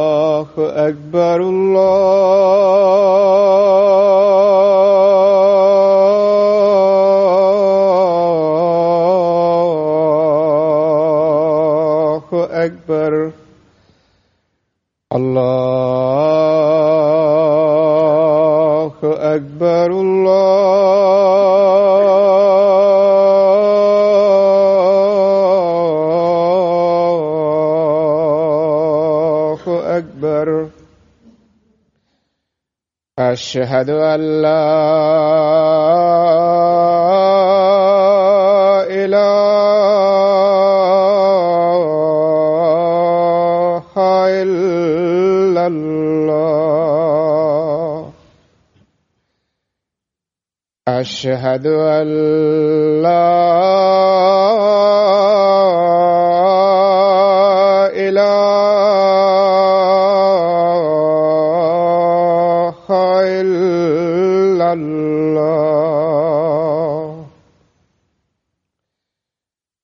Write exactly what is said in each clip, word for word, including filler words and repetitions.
الله أكبر الله أكبر الله أكبر أشهد أن لا إله إلا الله أشهد أن لا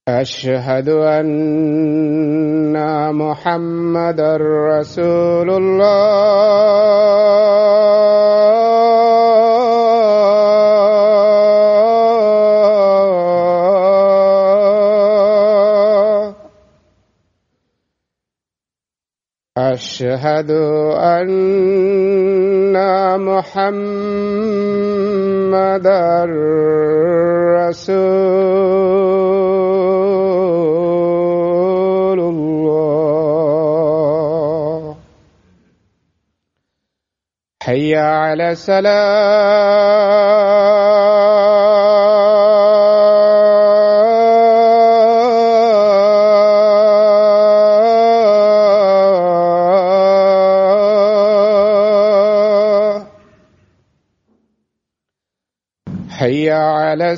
أشهد أن محمدًا رسول الله أشهد أن محمدًا رسول الله حي على الصلاة حي على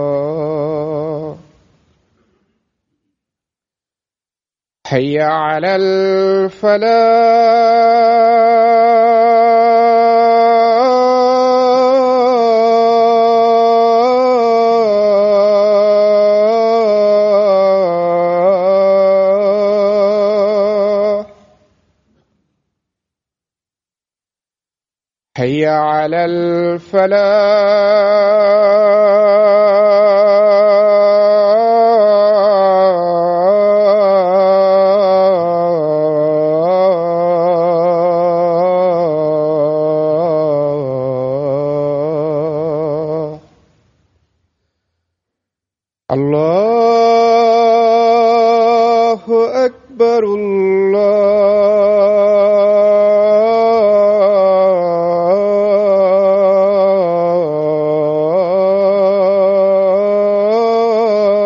السلام حي على الفلاح حي على الفلاح الله أكبر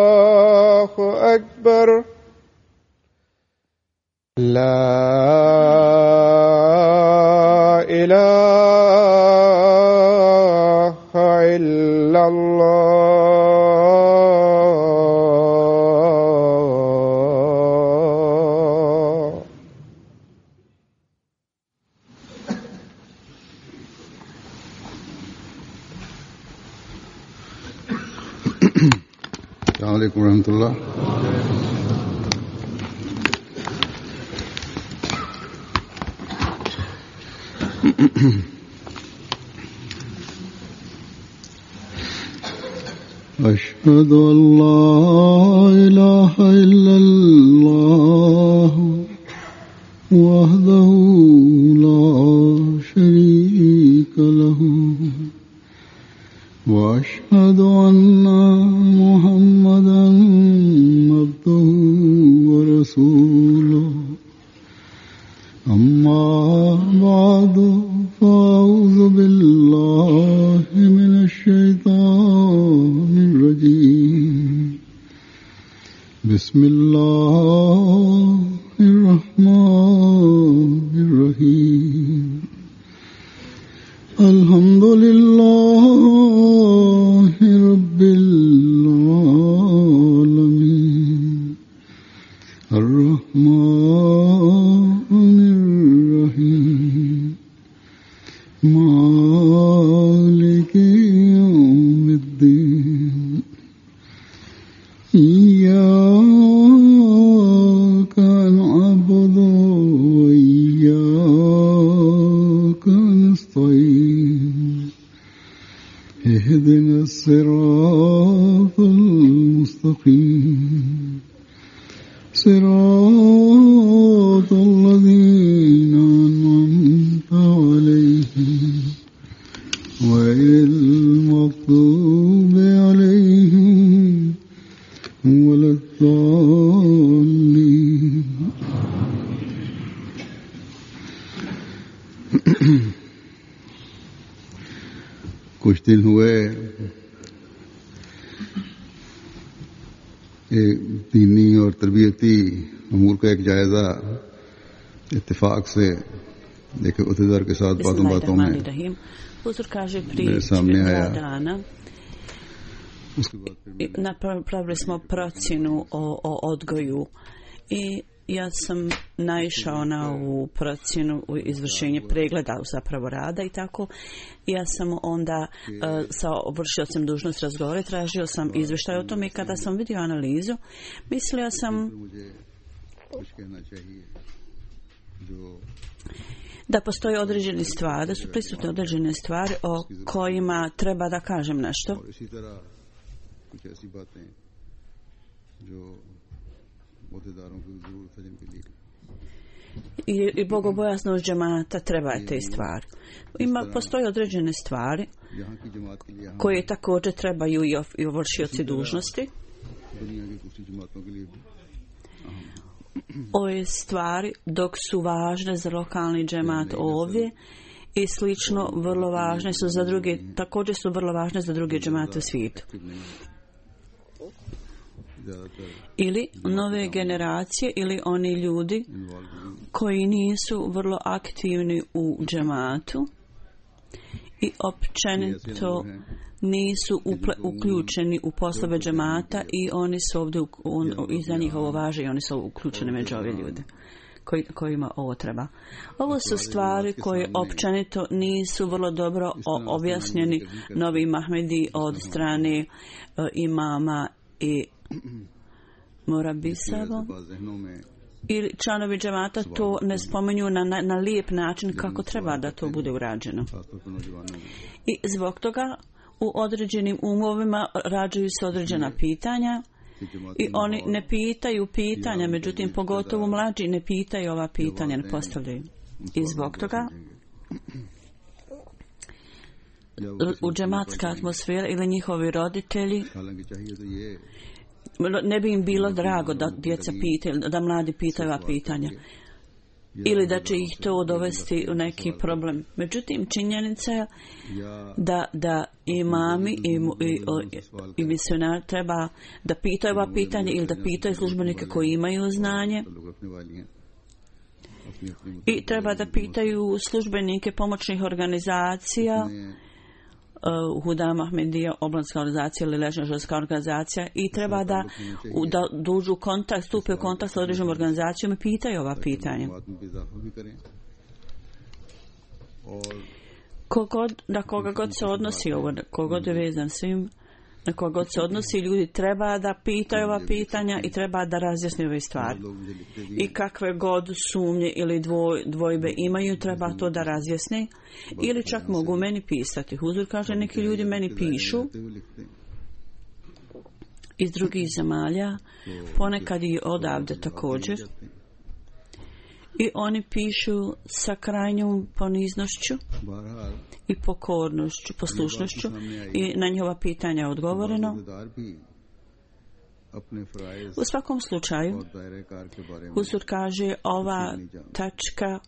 الله أكبر لا إله إلا الله السلام عليكم ورحمة الله. أشهد أن لا إله إلا الله وحده لا شريك له وأشهد أن محمدًا عبده ورسوله أما بعد فأعوذ بالله من الشيطان الرجيم بسم الله الرحمن الرحيم الصراط المستقيم صراط الذين أنعمت عليهم غير المغضوب عليهم ولا الضالين. कुछ दिन हुए एक दीनी और तरबियती अमूर का एक जायजा इत्तेफाक से देखे उहदेदार के साथ बातों बातों में मेरे सामने आया. Napravili smo procjenu o, o odgoju i ja sam naišao na ovu procjenu u izvršenje pregleda zapravo rada i tako. Ja sam onda uh, sa vršiocem dužnost razgovore, tražio sam izvještaj o tome i kada sam vidio analizu, mislio sam da postoje određene stvari, da su prisutne određene stvari o kojima treba da kažem nešto. I, i bogobojaznost džemata treba je te stvari. Ima, postoje određene stvari koje također trebaju i, i vršioci dužnosti. Ove stvari dok su važne za lokalni džemat ovdje i slično vrlo važne su za druge, također su vrlo važne za druge džemate u svijetu. Ili nove generacije ili oni ljudi koji nisu vrlo aktivni u džematu i općenito nisu uple, uključeni u poslove džemata i oni su ovdje, on, i za njih ovo važe i oni su uključeni među ove ljude koji, kojima ovo treba. Ovo su stvari koje općenito nisu vrlo dobro objašnjeni novi Mahmedi od strane uh, imama i Morabisava ili članovi džemata to ne spominju na, na, na lijep način kako treba da to bude urađeno. I zbog toga u određenim umovima rađaju se određena pitanja i oni ne pitaju pitanja, međutim pogotovo mlađi ne pitaju ova pitanja, ne postavljaju. I zbog toga u džematska atmosfera ili njihovi roditelji ne bi im bilo drago da djeca pitaju, da mladi pitaju ova pitanja ili da će ih to dovesti u neki problem. Međutim, činjenica je da, da imami i, i, i misionari treba da pitaju ova pitanja ili da pitaju službenike koji imaju znanje i treba da pitaju službenike pomoćnih organizacija, Uh, Hudam Ahmedija, oblanska organizacija ili ležnoželska organizacija i treba da, da dužu kontakt, stupe u kontakt s određenom organizacijom i pitaju ova pitanja. Kogod, na koga god se odnosi ovo, kogod je vezan svim, na koga god se odnosi, ljudi treba da pitaju ova pitanja i treba da razjasni ove stvari. I kakve god sumnje ili dvoj, dvojbe imaju, treba to da razjasni. Ili čak mogu meni pisati. Huzur kaže, neki ljudi meni pišu iz drugih zemalja, ponekad i odavde također. I oni pišu sa krajnjom poniznošću i pokornošću, poslušnošću i na njihova pitanja je odgovoreno. U svakom slučaju, Huzur kaže, ova tačka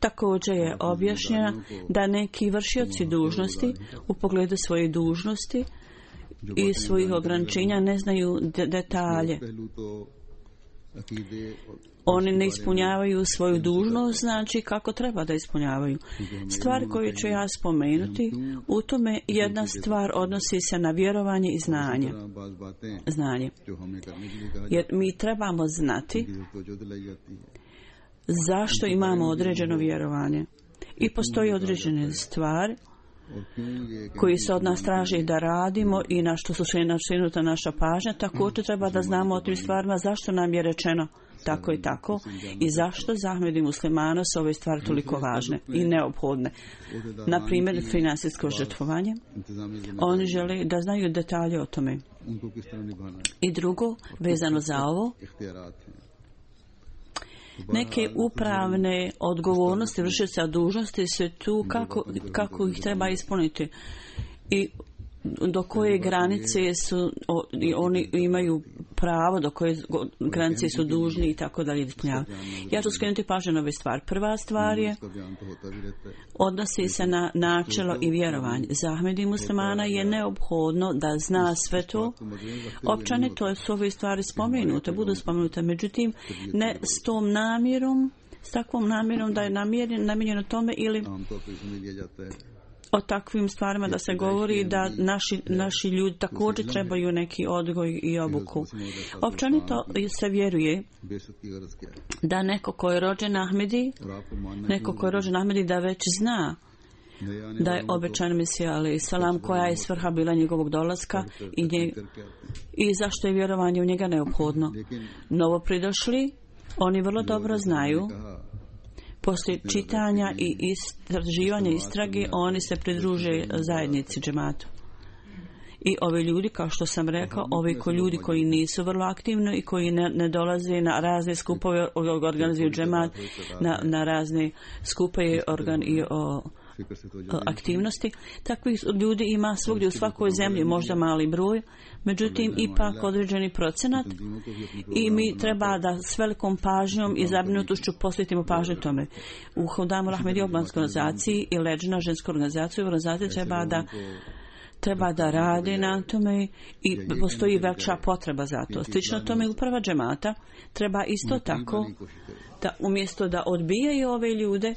također je objašnjena da neki vršioci dužnosti u pogledu svoje dužnosti i svojih ograničenja ne znaju de- detalje. Oni ne ispunjavaju svoju dužnost, znači kako treba da ispunjavaju. Stvari koje ću ja spomenuti, u tome jedna stvar odnosi se na vjerovanje i znanje. Znanje. Jer mi trebamo znati zašto imamo određeno vjerovanje. I postoji određene stvari koji se od nas traži da radimo i na što su skrenuta naša pažnja. Također treba da znamo o tim stvarima zašto nam je rečeno tako i tako i zašto za Ahmedi muslimana su ove stvari toliko važne i neophodne. Na primjer, finansijsko žrtvovanje. Oni žele da znaju detalje o tome. I drugo, vezano za ovo, neke upravne odgovornosti vršioca dužnosti su tu kako, kako ih treba ispuniti i do koje granice su o, oni imaju pravo, do koje granice su dužni i tako dalje ispunjavati. Ja ću skrenuti pažnju na ove stvari. Prva stvar je odnosi se na načelo i vjerovanje. Za Ahmedi muslimana je neophodno da zna sve to. Općenito su ove stvari spomenute, budu spomenute, međutim ne s tom namjerom, s takvom namjerom da je namijenjeno tome ili o takvim stvarima da se govori da naši, naši ljudi također trebaju neki odgoj i obuku. Općenito se vjeruje da neko ko je rođen Ahmedi, neko ko je rođen Ahmedi da već zna da je obećan Mesija alejhi selam, koja je svrha bila njegovog dolaska i, nje, i zašto je vjerovanje u njega neophodno. Novo pridošli, oni vrlo dobro znaju. Poslije čitanja i istraživanja istrage, oni se pridruže zajednici džematu. I ovi ljudi, kao što sam rekao, ovi ko ljudi koji nisu vrlo aktivni i koji ne, ne dolaze na razne skupove, organizuju džemat, na, na razne skupove organ, i o, o aktivnosti. Takvih ljudi ima svugdje u svakoj zemlji, možda mali broj, međutim ipak određeni procenat i mi treba da s velikom pažnjom i zabrinutošću posvetimo pažnju tome. U Hudamu Ahmedi obmanskoj organizaciji i Leđna ženskoj organizaciji organizaciji treba da treba da rade na tome i postoji veća potreba za to. Slično tome uprava džemata treba isto tako da umjesto da odbijaju ove ljude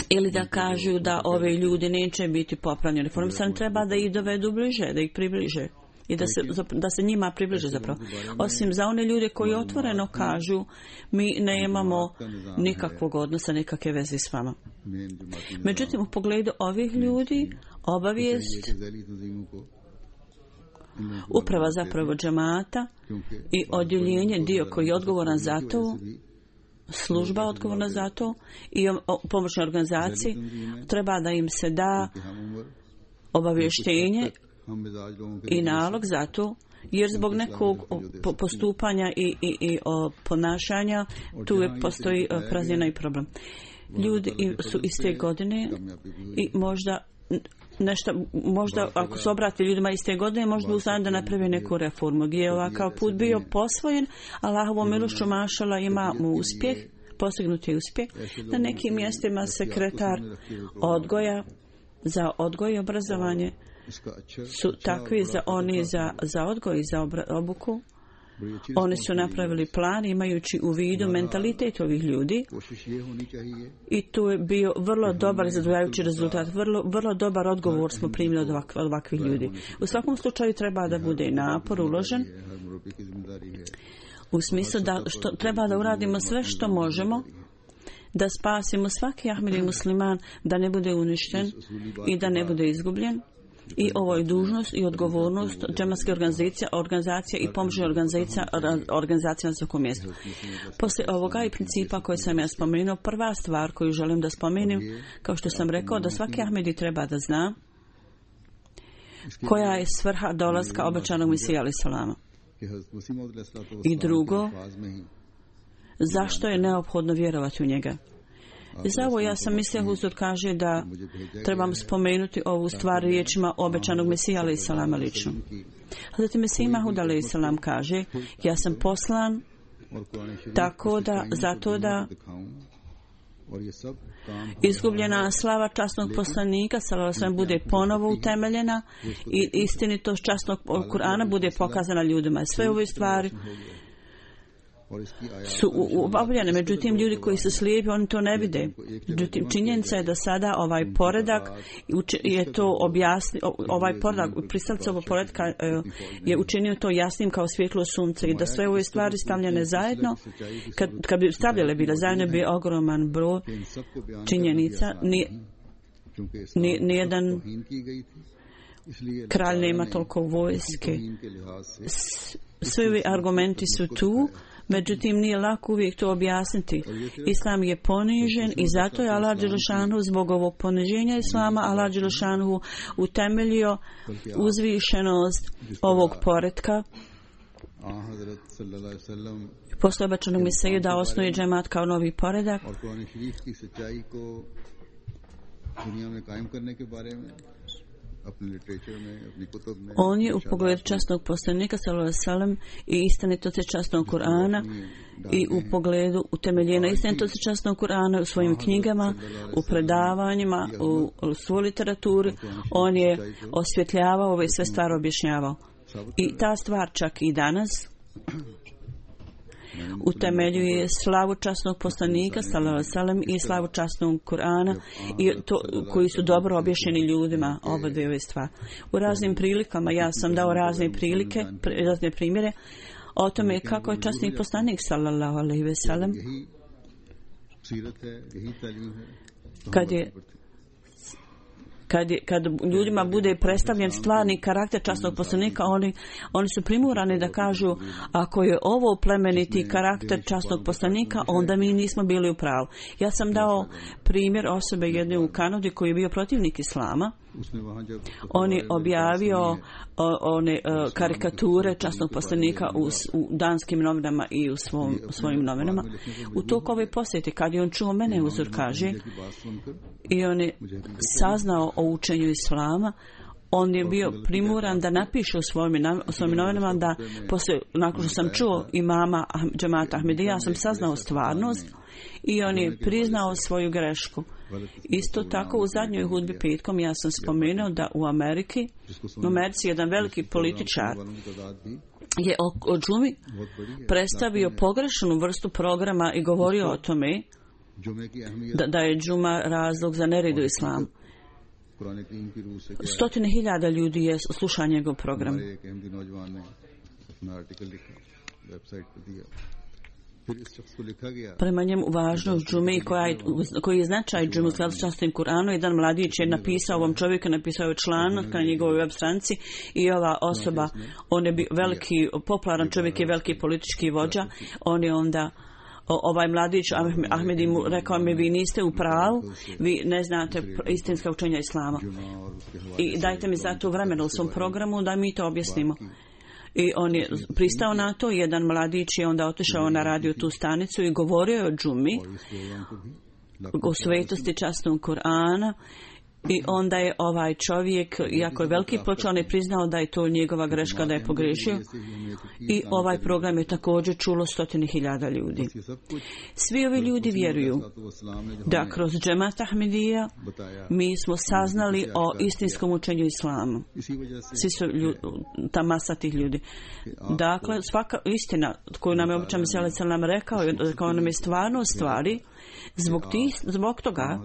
ili da kažu da ove ljudi neće biti popravljeni reformisani, treba da ih dovedu bliže, da ih približe i da se, da se njima približe zapravo. Osim za one ljude koji otvoreno kažu mi ne imamo nikakvog odnosa, nikakve veze s vama. Međutim, u pogledu ovih ljudi obavijest uprava zapravo džemata i odjeljenje, dio koji je odgovoran za to, služba odgovorna za to i pomoćne organizacije, treba da im se da obavještenje i nalog za to, jer zbog nekog postupanja i, i, i ponašanja tu je, postoji praznina i problem. Ljudi su iste godine i možda nešto, možda ako se obrati ljudima iste godine, možda bi u stanju da napravi neku reformu. Gdje je ovakav put bio posvojen, Allahovom milošću mašala ima mu uspjeh, postignuti uspjeh. Na nekim mjestima sekretar odgoja za odgoj i obrazovanje su takvi za oni za, za odgoj i za obra, obuku. Oni su napravili plan imajući u vidu mentalitet ovih ljudi i tu je bio vrlo dobar zadovoljavajući rezultat, vrlo, vrlo dobar odgovor smo primili od, ovak, od ovakvih ljudi. U svakom slučaju treba da bude napor uložen u smislu da što, treba da uradimo sve što možemo da spasimo svaki Ahmedi musliman, da ne bude uništen i da ne bude izgubljen. I ovo je dužnost i odgovornost džematske organizacije, organizacija i pomoćne organizacija, organizacija na svakom mjestu. Poslije ovoga i principa koje sam ja spomenuo, prva stvar koju želim da spomenem, kao što sam rekao, da svaki Ahmedi treba da zna koja je svrha dolaska obećanog Mesija alejhi selama. I drugo, zašto je neophodno vjerovati u njega. I za ovo ja sam mislio, Huzur kaže da trebam spomenuti ovu stvar riječima obećanog Mesija alejhi selama lično. Zatim Mesija Mahud alejhi selam kaže, ja sam poslan tako da, zato da izgubljena slava časnog poslanika sallallahu alejhi ve sellem bude ponovo utemeljena i istinitost časnog Kur'ana bude pokazana ljudima. Sve ove stvari su obavljene, međutim ljudi koji su slijepi oni to ne vide. Međutim činjenica je da sada ovaj poredak je to objasni, ovaj poredak, pristalica ovog poredka je učinio to jasnim kao svjetlo sunce i da sve ove stvari stavljene zajedno, kad, kad bi stavljale bile zajedno bi ogroman broj činjenica, ni, ni, nijedan kralj nema toliko vojske. Svi ovi argumenti su tu Međutim, nije lako uvijek to objasniti. Islam je ponižen i zato je Allah dželešanu zbog ovog poniženja Islama Allah dželešanu utemeljio uzvišenost ovog poretka. Posle obećanog Mesiju da osnuje džemat kao novi poredak. On je u pogledu časnog poslanika sallallahu alejhi ve sellem i istinitosti časnog Kur'ana i u pogledu utemeljenja istinitosti časnog Kur'ana u svojim knjigama, u predavanjima, u, u svoj literaturi, on je osvjetljavao ove sve stvari objašnjavao. I ta stvar čak i danas utemeljuje slavu časnog poslanika sallallahu alejhi ve sellem i slavu časnog Kur'ana i to koji su dobro objašnjeni ljudima oba dvije ove stvari. U raznim prilikama ja sam dao razne prilike, razne primjere o tome kako je časni poslanik sallallahu alejhi ve sellem kad je Kad, je, kad ljudima bude predstavljen stvarni karakter časnog poslanika, oni, oni su primorani da kažu ako je ovo plemeniti karakter časnog poslanika, onda mi nismo bili u pravu. Ja sam dao primjer osobe jedne u Kanadi koji je bio protivnik Islama. On je objavio o, one o, karikature časnog poslanika u, u danskim novinama i u svom, svojim novinama. U toku ove posjete, kad je on čuo mene uzor kaže i on je saznao o učenju Islama, on je bio primoran da napiše u svojim, u svojim novinama da posle, nakon što sam čuo imama džemata Ahmedija, ja sam saznao stvarnost i on je priznao svoju grešku. Isto tako u zadnjoj hudbi petkom ja sam spomenuo da u Ameriki, u Americi jedan veliki političar je o, o džumi predstavio pogrešnu vrstu programa i govorio o tome da, da je džuma razlog za nered u islamu. Stotine hiljada ljudi je slušao njegov program. Prema njemu važnost džume i koji je značaj džume u skladu s časnim Kur'anom, jedan mladić je napisao ovom čovjeku, napisao je članak na njegovoj web stranici i ova osoba, on je veliki, popularan čovjek je veliki politički vođa, on je onda ovaj mladić Ahmedi mu rekao mi vi niste u pravu, vi ne znate istinska učenja Islama i dajte mi za to vremena u svom programu da mi to objasnimo. I on je pristao na to, jedan mladić je onda otišao na radio tu stanicu i govorio je o džumi, o svetosti časnog Kur'ana. I onda je ovaj čovjek, iako je veliki počeo, on je priznao da je to njegova greška, da je pogrešio. I ovaj program je također čulo stotine hiljada ljudi. Svi ovi ljudi vjeruju da kroz džemat Ahmedija mi smo saznali o istinskom učenju Islama. Svi su ljudi, ta masa tih ljudi. Dakle, svaka istina koju nam je običan Mesija nam rekao, rekao nam je stvarno stvari. Zbog, tih, zbog toga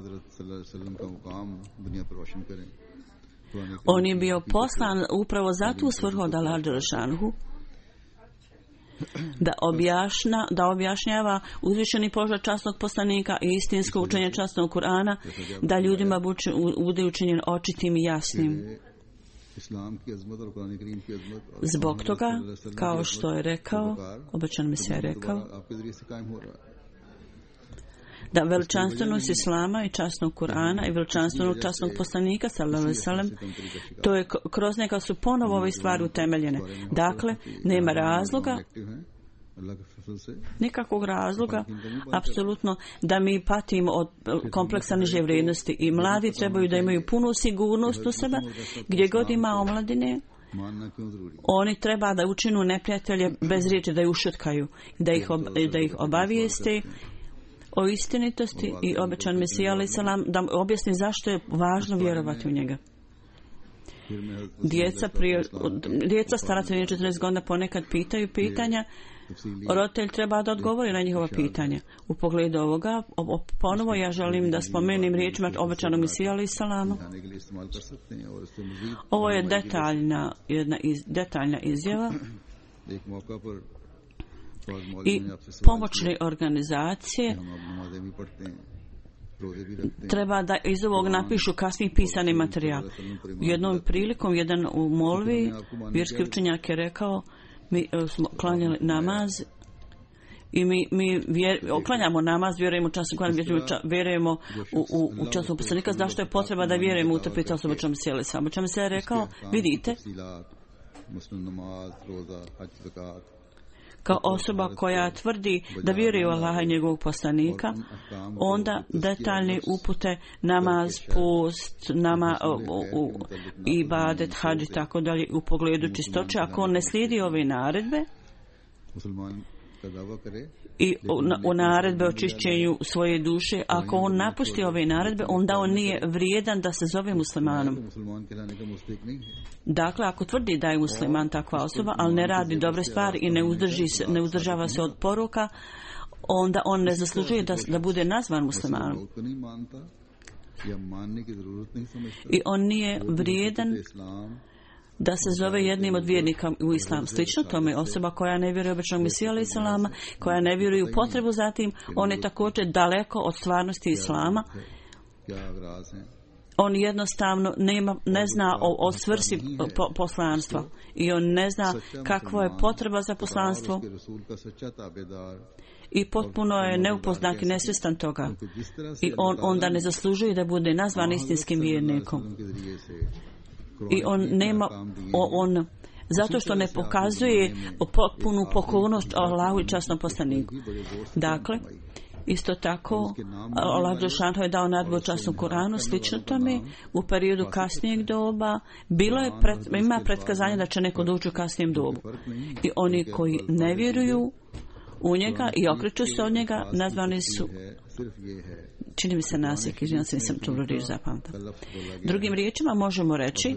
on je bio poslan upravo za tu svrhu od Allaha dželešanu da objašnja, da objašnjava uzvišeni položaj časnog poslanika i istinsko učenje časnog Kur'ana, da ljudima bude učinjen očitim i jasnim. Zbog toga, kao što je rekao, obećan Mesija je rekao, da veličanstvenost Islama i časnog Kur'ana i veličanstvenog časnog poslanika sallallahu alejhi ve sellem, to je kroz neka su ponovo ove stvari utemeljene. Dakle, nema razloga, nikakvog razloga, apsolutno, da mi patimo od kompleksa niže vrijednosti i mladi trebaju da imaju punu sigurnost u sebe, gdje god ima omladine, oni treba da učinu neprijatelje bez riječi, da ih ušutkaju, da ih, ob, da ih obavijeste o istinitosti i obećan Mesija alejhi selam da objasni zašto je važno vjerovati u njega. Djeca, prije, djeca stara četrnaest godina ponekad pitaju pitanja, roditelj treba da odgovori na njihova pitanja. U pogledu ovoga, ponovo ja želim da spomenem riječima obećanog Mesija alejhi selama. Ovo je detaljna, jedna iz, detaljna izjava i pomoćne organizacije treba da iz ovog napišu kasniji pisani materijal. Jednom prilikom jedan u molvi vjerski učenjak je rekao, mi smo klanjali namaz I mi, mi vjer, oklanjamo namaz, vjerujemo u časnu Kur'an, vjerujemo u, u, u časnog poslanika. Zašto je potreba da vjerujemo u to pita osoba čemu sjeli sam? Čemu se je rekao, vidite, kao osoba koja tvrdi da vjeruje u Allaha i njegovog poslanika, onda detaljne upute, namaz, post, nama, u, u, ibadet, hadž i tako dalje u pogledu čistoće, ako on ne slijedi ove naredbe i u naredbe o čišćenju svoje duše, ako on napusti ove naredbe, onda on nije vrijedan da se zove muslimanom. Dakle, ako tvrdi da je musliman takva osoba, ali ne radi dobre stvari i ne, uzdrži se, ne uzdržava se od poruka, onda on ne zaslužuje da, da bude nazvan muslimanom. I on nije vrijedan da se zove jednim od vjernika u islam. Slično tome, osoba koja ne vjeruje u običnog Mesiju alejhi selama, koja ne vjeruje u potrebu za tim, on je također daleko od stvarnosti islama. On jednostavno nema, ne zna o, o svrsi po, poslanstva i on ne zna kakva je potreba za poslanstvo i potpuno je neupoznan i nesvjestan toga. I on onda ne zaslužuje da bude nazvan istinskim vjernikom. I on nema, on, zato što ne pokazuje potpunu pokornost Allahu i časnom poslaniku. Dakle, isto tako, Allah dželešanu je dao nadbu u časnom Kur'anu, slično tome, u periodu kasnijeg doba, bilo je pred, ima pretkazanje da će neko doći u kasnijem dobu. I oni koji ne vjeruju u njega i okreću se od njega, nazvani su, čini mi se nasjek, izvinjam se, nisam tu riječ zapamtila. Drugim riječima možemo reći,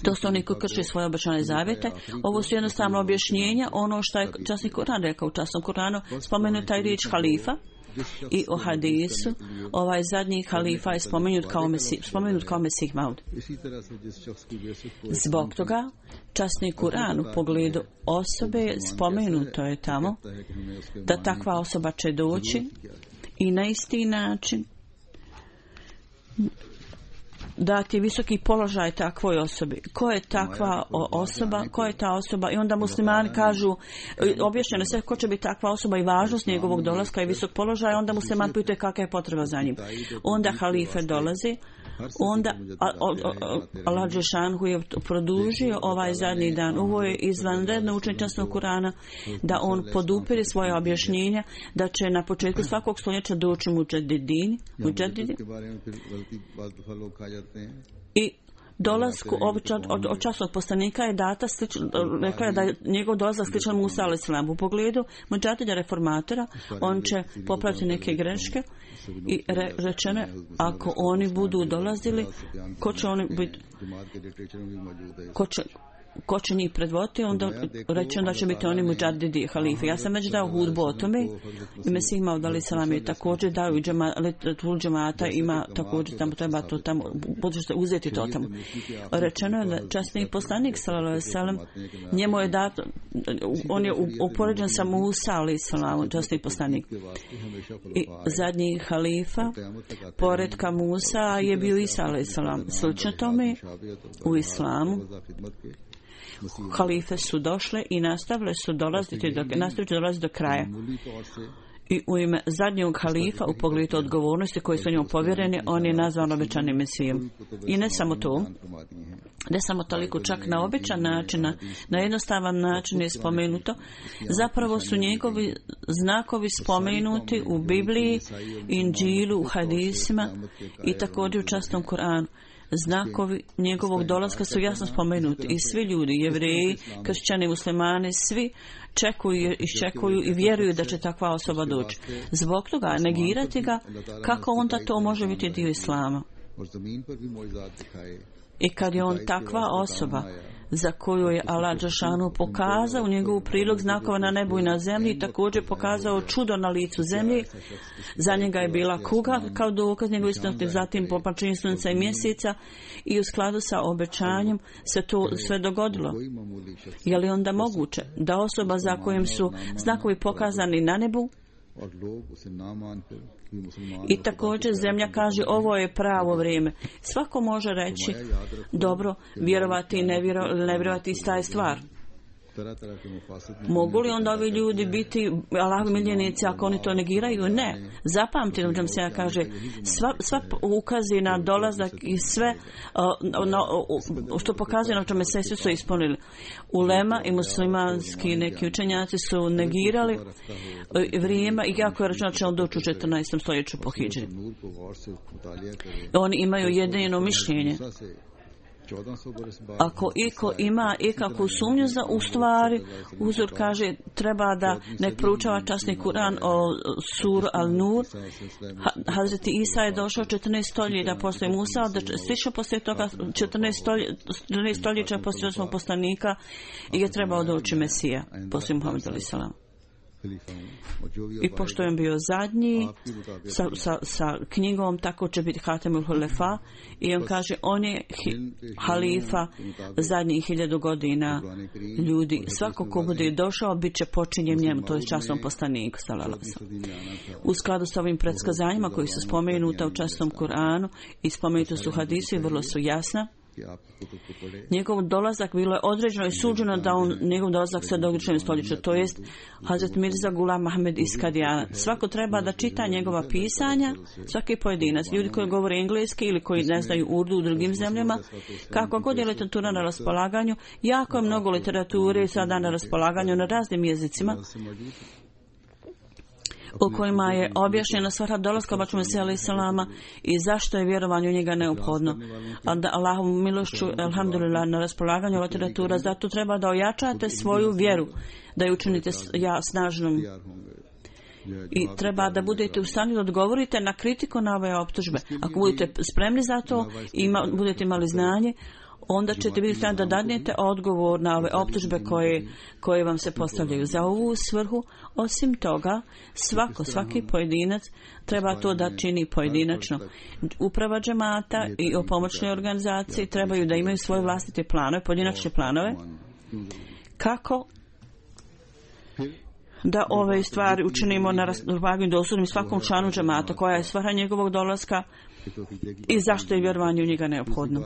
to su oni koji krše svoje obećane zavjete, ovo su jednostavno objašnjenja, ono što je časni Kur'an rekao. U časnom Kur'anu spomenuta je riječ halifa i o hadisu, ovaj zadnji halifa je spomenut kao Mesih, spomenut kao Mesih Maud. Zbog toga, časni Kur'an u pogledu osobe spomenuto je tamo da takva osoba će doći i na isti način dati visoki položaj takvoj osobi. Ko je takva osoba? Ko je ta osoba? I onda muslimani kažu, objašnjeno sve ko će biti takva osoba i važnost njegovog dolaska i visok položaj, onda musliman pituje kakva je potreba za njim. Onda halife dolazi, onda Allah dželešanu je produžio ovaj zadnji dan. Ovo je izvanredno učenje časnog Kur'ana, da on podupire svoje objašnjenja, da će na početku svakog stoljeća doći muđedidini, muđedidi, i dolasku od, od, od časnog poslanika je data slično, rekla je da je njegov dolazak sličan Musa alejhi selam. U pogledu muđadida reformatora, on će popraviti neke greške i re, rečeno, ako oni budu dolazili, ko će oni biti, ko će, ko će njih predvoditi, onda rečeno da će biti oni muđadidi halifi. Ja sam već dao hudbu o tome i Mesih Maud alejhi selam je također dao i tul džemata ima također tamo, treba to tamo, budete uzeti to tamo. Rečeno je da časni poslanik sallallahu alejhi ve sellem, njemu je dato, on je upoređen sa Musa alejhi selam, časni poslanik. I zadnji halifa poredka Musa je bio Isa alejhi selam. Slično tome u islamu halife su došle i nastavile su dolaziti do, nastaviti dolaziti do kraja. I u ime zadnjeg halifa u pogledu odgovornosti koji su njemu povjereni, on je nazvan obećanim Mesijom. I ne samo to, ne samo toliko, čak na običan način, na, na jednostavan način je spomenuto. Zapravo su njegovi znakovi spomenuti u Bibliji, Inđilu, u hadisima i također u časnom Kur'anu. Znakovi njegovog dolaska su jasno spomenuti i svi ljudi, jevreji, kršćani, muslimani, svi čekuju, iščekuju i vjeruju da će takva osoba doći. Zbog toga negirati ga, kako onda to može biti dio islama? I kad je on takva osoba za koju je Allah dželešanu pokazao njegovu prilog znakova na nebu i na zemlji i također pokazao čudo na licu zemlji, za njega je bila kuga kao dokaz njegove istinosti, zatim popraćenje sunca i mjeseca i u skladu sa obećanjem se to sve dogodilo. Je li onda moguće da osoba za kojim su znakovi pokazani na nebu i također zemlja kaže ovo je pravo vrijeme? Svako može reći dobro, vjerovati i ne vjerovati ista je stvar. Mogu li onda ovi ljudi biti Allahovi miljenici ako oni to negiraju? Ne. Zapamtite, nam se ja kaže, sva, sva ukazi na dolazak i sve uh, no, uh, što pokazuje na čome se svi su ispunili. Ulema i muslimanski neki učenjaci su negirali uh, vrijeme i jako je rečeno da će on doći u četrnaestom stoljeću po hidžri. Oni imaju jedino mišljenje. Ako iko ima ikakvu sumnju za u stvari, uzor kaže treba da nek proučava časni Kur'an o suru Al-Nur. Hazreti Isa je došao četrnaest stoljeća poslije Musa, da stišao poslije toga četrnaest stoljeća poslije osmog poslanika i je trebao doći Mesija poslije Muhameda alejhi selam. I pošto je bio zadnji sa, sa, sa knjigom, tako će biti Hatemul Hulefa, i on kaže on je hi, halifa zadnjih hiljadu godina ljudi. Svako ko bude došao bit će počinjen njemu, to je časnom poslaniku sallallahu alejhi ve sellem. U skladu s ovim predskazanjima koji su spomenuta u časnom Kur'anu i spomenuti su hadisi, vrlo su jasna. Njegov dolazak bilo je određeno i suđeno da on, njegov dolazak se događa u stoljeću, to jest Hazret Mirza Gulam Ahmed iz Kadijana. Svako treba da čita njegova pisanja, svaki pojedinac, ljudi koji govore engleski ili koji ne znaju urdu u drugim zemljama, kako god je literatura na raspolaganju, jako je mnogo literature sada na raspolaganju na raznim jezicima, u kojima je objašnjena svrha dolaska Baču Mesija alejhi selama i zašto je vjerovanje u njega neophodno. A da Allahovom milošću, alhamdulillah, na raspolaganju literatura, zato treba da ojačate svoju vjeru, da ju učinite ja snažnom. I treba da budete u stanju da odgovorite na kritiku na ove optužbe. Ako budete spremni za to i ima, budete imali znanje, onda ćete biti stavljeni da dadnete odgovor na ove optužbe koje, koje vam se postavljaju. Za ovu svrhu, osim toga, svako, svaki pojedinac treba to da čini pojedinačno. Uprava džemata i o pomoćnoj organizaciji trebaju da imaju svoje vlastite planove, pojedinačne planove, kako da ove stvari učinimo na raspolaganju dostupnim svakom članu džemata, koja je svrha njegovog dolaska i zašto je vjerovanje u njega neophodno.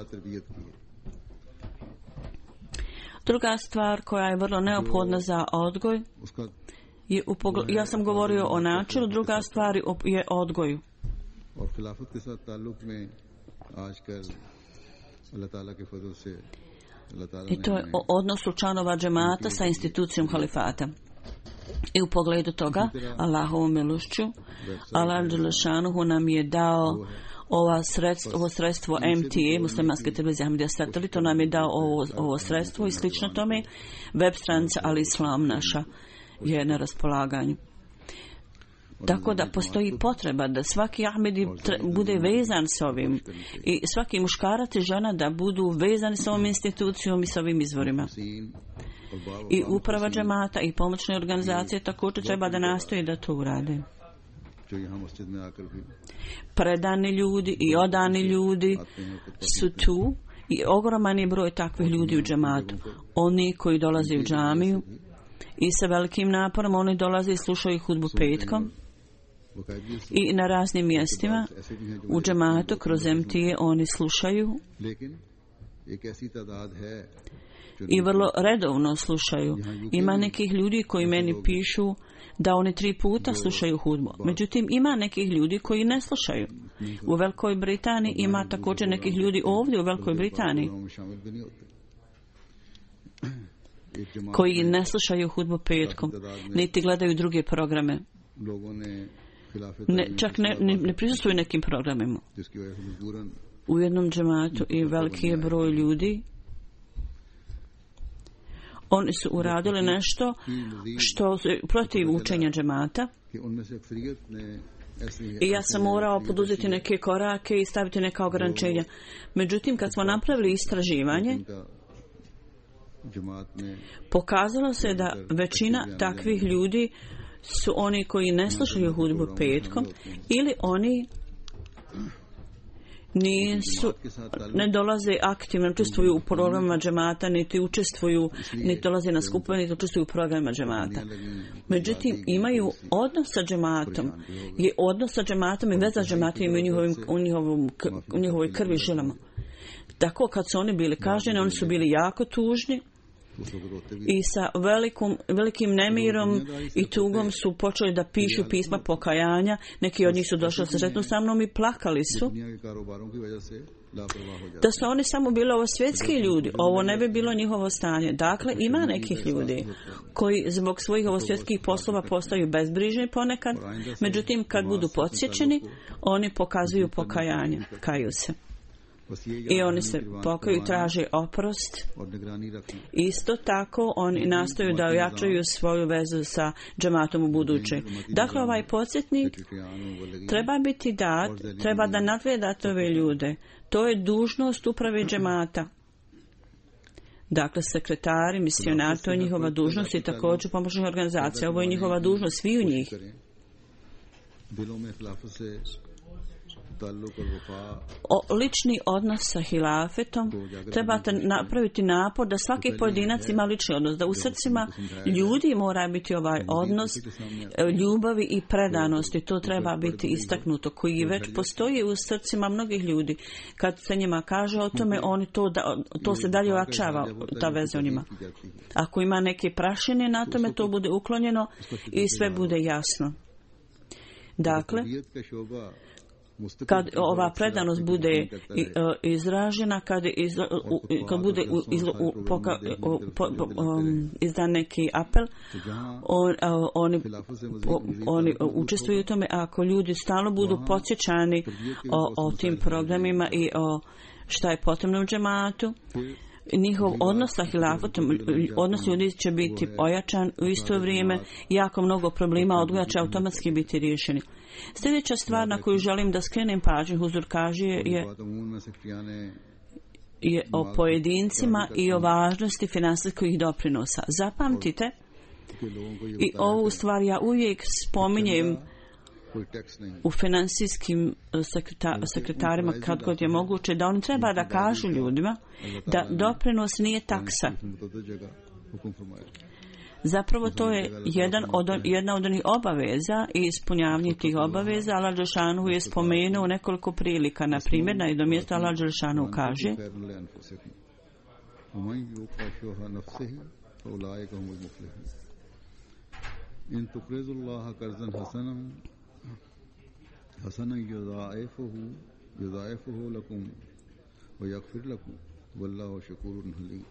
Druga stvar koja je vrlo neophodna za odgoj je upogl... ja sam govorio o načinu, druga stvar je odgoju. I to je o odnosu članova džemata sa institucijom halifata. I u pogledu toga, Allahovom milošću, Allah dželešanuhu nam je dao ova sredstvo, ovo sredstvo M T A, muslimanske televizije Ahmadija Satelit, to nam je dao ovo, ovo sredstvo i slično tome. Web stranica Al Islam naša je na raspolaganju. Tako da postoji potreba da svaki Ahmedi bude vezan s ovim i svaki muškarac i žena da budu vezani s ovom institucijom i s ovim izvorima. I uprava džemata i pomoćne organizacije također treba da nastoji da to urade. Predani ljudi i odani ljudi su tu i ogroman je broj takvih ljudi u džematu. Oni koji dolaze u džamiju i sa velikim naporom oni dolaze i slušaju hudbu petkom i na raznim mjestima u džematu kroz M T A oni slušaju i vrlo redovno slušaju. Ima nekih ljudi koji meni pišu da oni tri puta slušaju hudbu. Međutim, ima nekih ljudi koji ne slušaju. U Velikoj Britaniji ima također nekih ljudi ovdje u Velikoj Britaniji koji ne slušaju hudbu petkom, niti gledaju druge programe. Ne, čak ne, ne, ne prisustvuju nekim programima. U jednom džematu i veliki je broj ljudi. Oni su uradili nešto što protiv učenja džemata i ja sam morao poduzeti neke korake i staviti neka ograničenja. Međutim, kad smo napravili istraživanje, pokazalo se da većina takvih ljudi su oni koji ne slušaju hudbu petkom ili oni nisu, ne dolaze aktivno, učestvuju u programima džemata, niti učestvuju, niti dolaze na skupove, niti učestvuju u programima džemata. Međutim, imaju odnos sa džematom. Je odnos sa džematom i veza s džematom u, njihovim, u, njihovom, u njihovoj krvi žilama. Tako, kad su oni bili kažnjeni, oni su bili jako tužni i sa velikom, velikim nemirom i tugom su počeli da pišu pisma pokajanja. Neki od njih su došli sa žetnu sa mnom i plakali su da su oni samo bili ovo svjetski ljudi, ovo ne bi bilo njihovo stanje. Dakle, ima nekih ljudi koji zbog svojih ovo svjetskih poslova postaju bezbrižni ponekad, međutim kad budu podsjećeni, oni pokazuju pokajanje, kaju se. I oni se pokaju, traže oprost. Isto tako oni nastoju da ojačaju svoju vezu sa džematom u buduće. Dakle, ovaj podsjetnik treba biti dat, treba da nadgledate ove ljude. To je dužnost uprave džemata. Dakle, sekretari, misionari, to je njihova dužnost i također pomoćnih organizacija. Ovo je njihova dužnost, svi u njih. O, lični odnos sa hilafetom trebate napraviti napor da svaki pojedinac ima lični odnos, da u srcima ljudi mora biti ovaj odnos ljubavi i predanosti. To treba biti istaknuto, koji već postoji u srcima mnogih ljudi. Kad se njima kaže o tome, oni to, da, to se dalje ojačava, ta veza o njima. Ako ima neke prašine na tome, to bude uklonjeno i sve bude jasno. Dakle, kad ova predanost bude izražena, kad, iz, kad bude iz, poka, po, um, izdan neki apel, on, oni, oni učestvuju u tome. Ako ljudi stalno budu podsjećani o, o tim programima i o šta je potrebno u džematu, njihov odnos sa hilafetom, odnos ljudi će biti ojačan u isto vrijeme, jako mnogo problema odgoja će automatski biti riješeni. Sljedeća stvar na koju želim da skrenem pažnju, Huzur kaže, je, je o pojedincima i o važnosti finansijskih doprinosa. Zapamtite, i ovu stvar ja uvijek spominjem u finansijskim sekreta, sekretarima kad god je moguće, da oni treba da kažu ljudima da doprinos nije taksa. Zapravo to je jedan od, jedna od onih obaveza i ispunjavanje tih obaveza. Allah Đelešanu je spomenuo nekoliko prilika. Na primjer, na jednom mjestu Allah Đelešanu kaže: in tuqrizullaha qarzan hasanan hasanan yudha'ifuhu yudha'ifuhu lakum wa yaghfir lakum wallahu shakurun halim.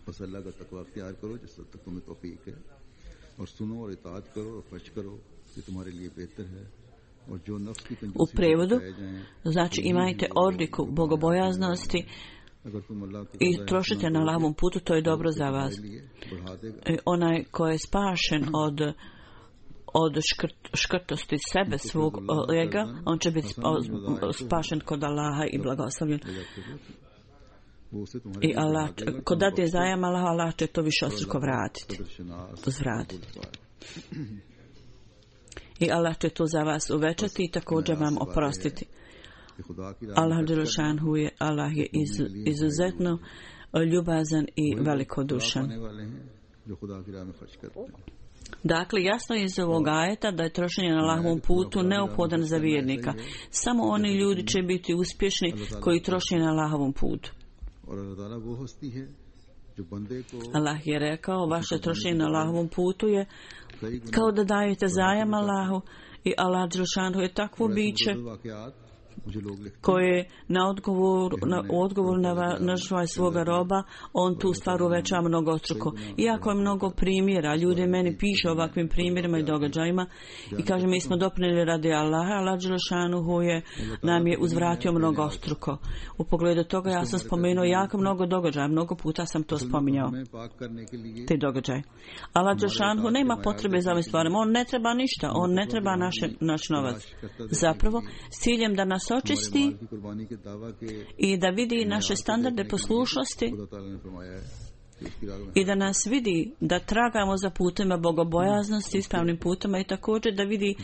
बस अल्लाह का तकवा अख्तियार करो जिससे तुम्हें तौफीक है और सुनो और इताअत करो और खर्च करो ये तुम्हारे लिए बेहतर है और जो नफ्स की कंजूसी u prevodu znači imajte odliku bogobojaznosti i trošite na Allahovom putu, to je dobro za vas. I onaj ko je spašen od od škrt, škrtosti sebe, svog ega, on će biti spašen kod Allaha i blagoslovljen. I Allah, kod dade zajam Allah, Allah će to više ostruko vratiti. Zvratiti. I Allah će to za vas uvećati i također vam oprostiti. Allah Đelešanhu je, Allah je iz, izuzetno ljubazan i velikodušan. Dakle, jasno je iz ovog ajeta da je trošenje na Allahovom putu neophodan za vjernika. Samo oni ljudi će biti uspješni koji troše na Allahovom putu. Allah je rekao, vaše trošenje na Allahovom putu je kao da dajete zajam Allahu i Allah Đelešanu je takvo biće koje na odgovor, na, u odgovor na, na žvaj svoga roba, on tu stvar uveća mnogostruko. Iako je mnogo primjera, ljudi meni pišu ovakvim primjerima i događajima i kaže, mi smo doprinijeli radi Allaha, Allah Đelešanuhu je nam je uzvratio mnogostruko. U pogledu toga ja sam spomenuo jako mnogo događaja, mnogo puta sam to spominjao, te događaje. Allah Đelešanuhu nema potrebe za ovim stvarima, on ne treba ništa, on ne treba naše, naš novac. Zapravo, s ciljem da nas očisti i da vidi naše standarde poslušnosti i da nas vidi da tragamo za putima bogobojaznosti, ispravnim putima i također da vidi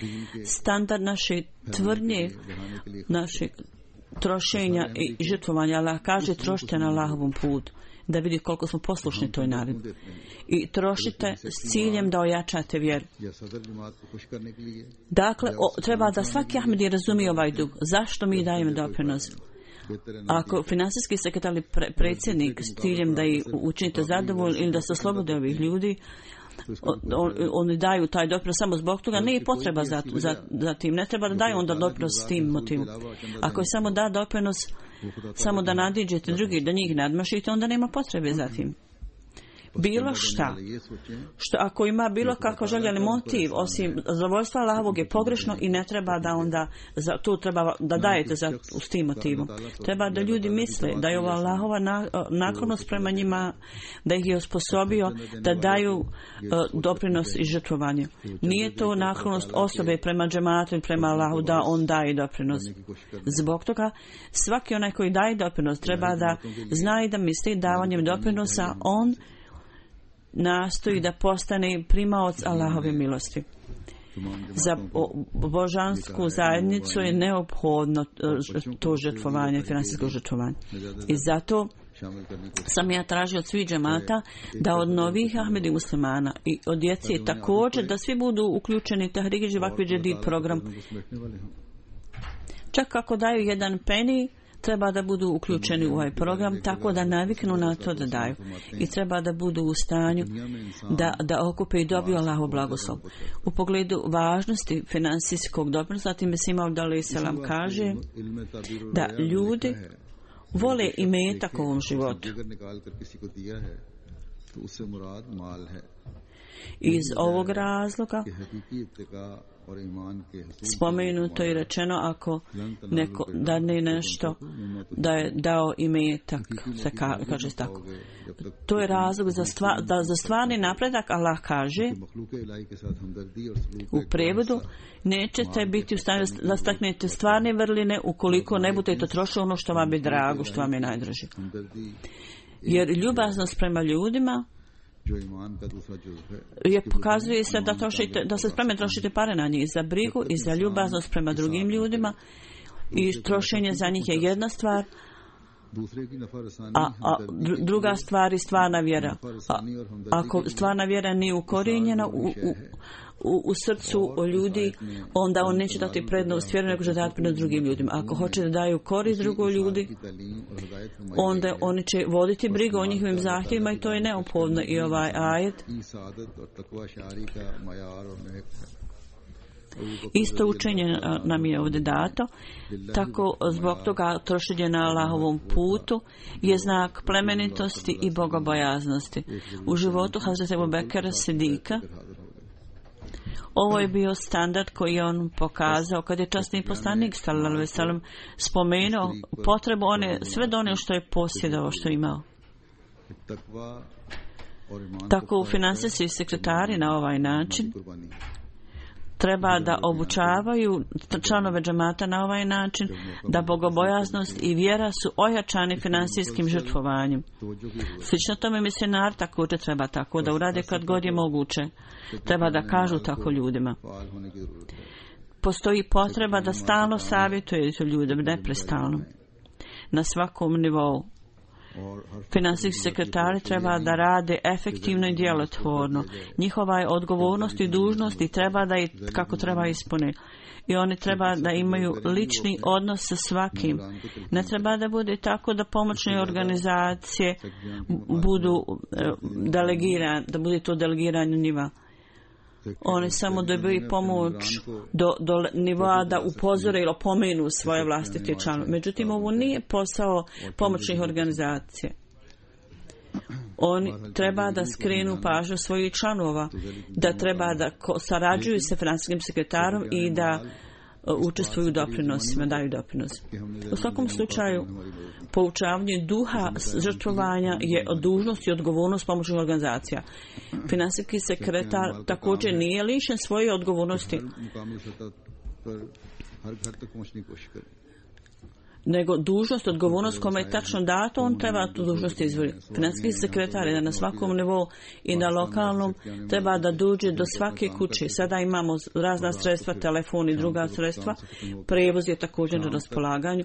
standard naše tvrdnje, naše trošenja i žrtvovanja. Allah kaže, trošite na Allahovom putu, da vidi koliko smo poslušni toj naredbi. I trošite s ciljem da ojačate vjeru. Dakle, o, treba da svaki Ahmedi razumije ovaj dug. Zašto mi dajemo doprinos? Ako finansijski sekretar ili pre, predsjednik s ciljem da ih učinite zadovoljni ili da se oslobode ovih ljudi, on, oni daju taj doprinos samo zbog toga, nije potreba za, za, za tim, ne treba da daju onda doprinos s tim motivom. Ako je samo da doprinos samo da nadiđete drugi, da njih nadmašite, onda nema potrebe za tim. Bilo šta, što ako ima bilo kako željeli motiv, osim zadovoljstva Allahovog, je pogrešno i ne treba da onda za, tu treba da dajete za, s tim motivom. Treba da ljudi misle da je ova Allahova na, naklonost prema njima, da ih je osposobio da daju uh, doprinos i žrtvovanje. Nije to naklonost osobe prema džematu i prema Allahu da on daje doprinos. Zbog toga svaki onaj koji daje doprinos treba da zna i da misli davanjem doprinosa on nastoji da postane primaoc Allahove milosti. Za božansku zajednicu je neophodno to žrtvovanje, finansijsko žrtvovanje. I zato sam ja tražio od svih džemata da od novih Ahmedi muslimana i od djece također da svi budu uključeni Tahrik Živakvi Džedid program. Čak ako daju jedan peni, treba da budu uključeni u ovaj program tako da naviknu na to da daju. I treba da budu u stanju da, da okupe i dobiju Allahov blagoslov. U pogledu važnosti finansijskog doprinosa, time Sima Alaihi Salam kaže da ljudi vole imetak u ovom životu. Iz ovog razloga spomenuto i rečeno ako neko dadne nešto da je dao imetak, se ka, kaže tako. To je razlog za, stva, da za stvarni napredak. Allah kaže u prevodu: nećete biti u stanju da staknete stvarne vrline ukoliko ne budete trošili ono što vam je drago, što vam je najdraže. Jer ljubaznost prema ljudima je pokazuje se da, trošite, da se spremni trošite pare na njih, za brigu i za ljubaznost prema drugim ljudima, i trošenje za njih je jedna stvar, a, a druga stvar je stvarna vjera. A, ako stvarna vjera nije ukorijenjena u, u, u, u srcu ljudi, onda on neće dati prednost vjeru, nego će dati prednost drugim ljudima. Ako hoće da daju korist drugoj ljudi, onda oni će voditi brigu o njihovim zahtjevima, i to je neophodno. I ovaj ajet isto učenje nam je ovdje dato, tako zbog toga trošenje na Allahovom putu je znak plemenitosti i bogobojaznosti. U životu Hazreti Ebu Bekra Sidika ovo je bio standard koji je on pokazao kad je časni poslanik sallallahu alejhi ve sellem spomenuo potrebu one sve do one što je posjedovao, što je imao. Tako finansijski sekretari na ovaj način treba da obučavaju članove džemata na ovaj način da bogobojaznost i vjera su ojačani finansijskim žrtvovanjem. Slično tome misionar također treba tako da urade kad god je moguće. Treba da kažu tako ljudima. Postoji potreba da stalno savjetujete ljude, neprestalno, na svakom nivou. Finansijski sekretari treba da rade efektivno i djelotvorno. Njihova je odgovornost i dužnost i treba da i kako treba ispune. I oni treba da imaju lični odnos sa svakim. Ne treba da bude tako da pomoćne organizacije budu delegirane, da bude to delegiranje njima. Oni samo dobiju pomoć do, do nivoa da upozore ili opomenu svoje vlastite članove. Međutim, ovo nije posao pomoćnih organizacija. Oni treba da skrenu pažnju svojih članova, da treba da sarađuju sa finansijskim sekretarom i da učestvuju u doprinosima, daju doprinos. U svakom slučaju, poučavanje duha žrtvovanja je dužnost i odgovornost pomoćnih organizacija. Finansijski sekretar također nije lišen svoje odgovornosti, nego dužnost, odgovornost kome je tačno dato, on treba tu dužnost izvršiti. Financijski sekretar je na svakom nivou i na lokalnom treba da dođe do svake kuće. Sada imamo razna sredstva, telefon i druga sredstva. Prevoz je također na raspolaganju.